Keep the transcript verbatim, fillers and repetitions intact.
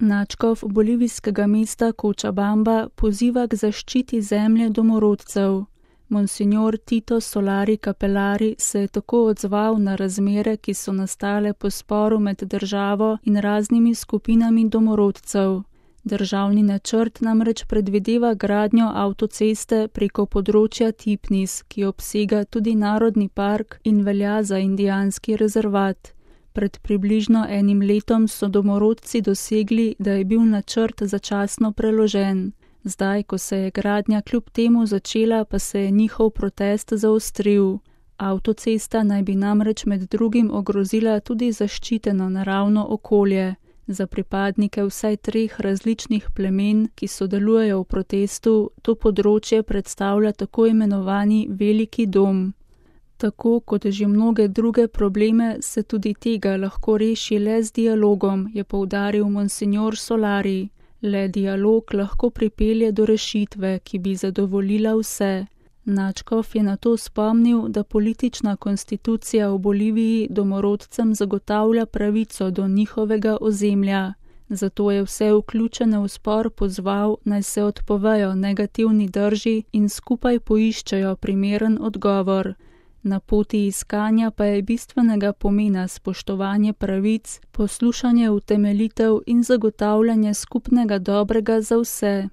Nadškof bolivijskega mesta Cochabamba poziva k zaščiti zemlje domorodcev. Monsignor Tito Solari Capellari se je tako odzval na razmere, ki so nastale po sporu med državo in raznimi skupinami domorodcev. Državni načrt namreč predvideva gradnjo avtoceste preko področja Tipnis, ki obsega tudi narodni park in velja za indijanski rezervat. Pred približno enim letom so domorodci dosegli, da je bil načrt začasno preložen. Zdaj, ko se je gradnja kljub temu začela, pa se je njihov protest zaostril. Avtocesta naj bi namreč med drugim ogrozila tudi zaščiteno naravno okolje. Za pripadnike vsaj treh različnih plemen, ki sodelujejo v protestu, to področje predstavlja tako imenovani veliki dom. Tako kot že mnoge druge probleme, se tudi tega lahko reši le z dialogom, je poudaril monsignor Solari. Le dialog lahko pripelje do rešitve, ki bi zadovoljila vse. Nadškof je nato spomnil, da politična konstitucija v Boliviji domorodcem zagotavlja pravico do njihovega ozemlja. Zato je vse vključene v spor pozval, naj se odpovejo negativni drži in skupaj poiščejo primeren odgovor. Na poti iskanja pa je bistvenega pomena spoštovanje pravic, poslušanje utemeljitev in zagotavljanje skupnega dobrega za vse.